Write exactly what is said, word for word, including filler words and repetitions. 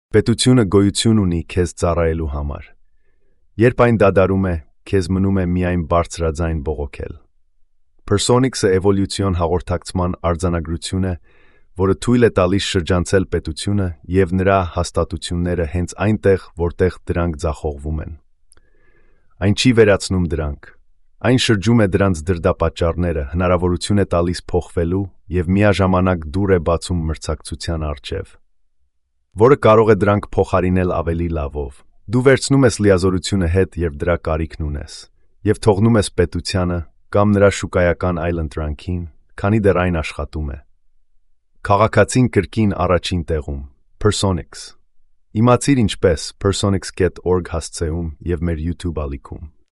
Պետությունը գոյություն ունի քեզ ծառայելու համար։ Երբ այն դադարում է, քեզ մնում է միայն բարձրաձայն բողոքել։ Personix-ը էվոլյուցիոն հաղորդակցման արձանագրություն է, որը թույլ է տալիս շրջանցել պետությունը և նրա հաստատությունները հենց այնտեղ, որտեղ դրանք ձախողվում են։ Այն չի վերացնում դրանք։ Այն շրջում է դրանց դրդապատճառները, հնարավորություն է տալիս փոխվելու և միաժամանակ դուռ է բացում մրցակցության առջև, որը կարող է դրանք փոխարինել ավելի լավով։ Դու վերցնում ես լիազորությունը հետ, երբ դրա կարիքն ունես, և թողնում ես պետությանը կամ նրա շուկայական այլընտրանքին, քանի դեռ այն աշխատում է։ Քաղաքացին կրկին առաջին տեղում։ Personix։ Իմացիր ինչպես personix dot org հասցեում և մեր YouTube ալիքում։